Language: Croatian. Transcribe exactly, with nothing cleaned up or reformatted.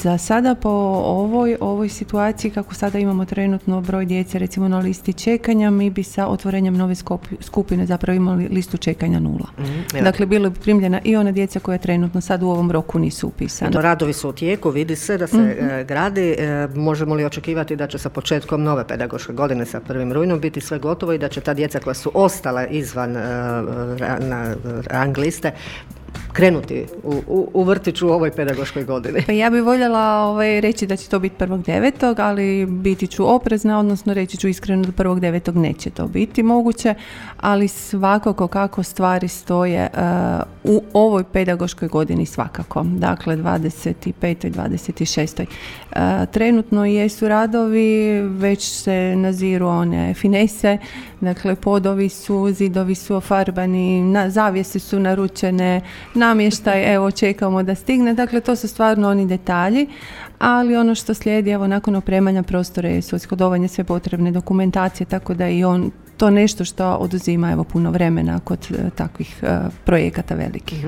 za sada po ovoj, ovoj situaciji kako sada imamo trenutno broj djece recimo na listi čekanja, mi bi sa otvorenjem nove skupine zapravo imali listu čekanja nula. Mm, dakle, bilo bi primljena i ona djeca koja trenutno sad u ovom roku nisu upisana. Radovi su u tijeku, vidi se da se mm-hmm. e, gradi. E, možemo li očekivati da će sa početkom nove pedagoške godine sa prvim rujnom biti sve gotovo i da će ta djeca koja su ostala izvan e, ra, na rang liste krenuti u, u, u vrtiću u ovoj pedagoškoj godini? Pa ja bih voljela ovaj, reći da će to biti prvog devetog, ali biti ću oprezna, odnosno reći ću iskreno da prvog devetog neće to biti moguće, ali svakako kako stvari stoje uh, u ovoj pedagoškoj godini svakako, dakle dvadeset pete i dvadeset šeste. Uh, trenutno jesu radovi, već se naziru one finese, dakle podovi su, zidovi su ofarbani, na, zavjese su naručene, namještaj, evo čekamo da stigne, dakle to su stvarno oni detalji, ali ono što slijedi, evo nakon opremanja prostora je ishodovanje sve potrebne dokumentacije, tako da i on to nešto što oduzima evo puno vremena kod uh, takvih uh, projekata velikih.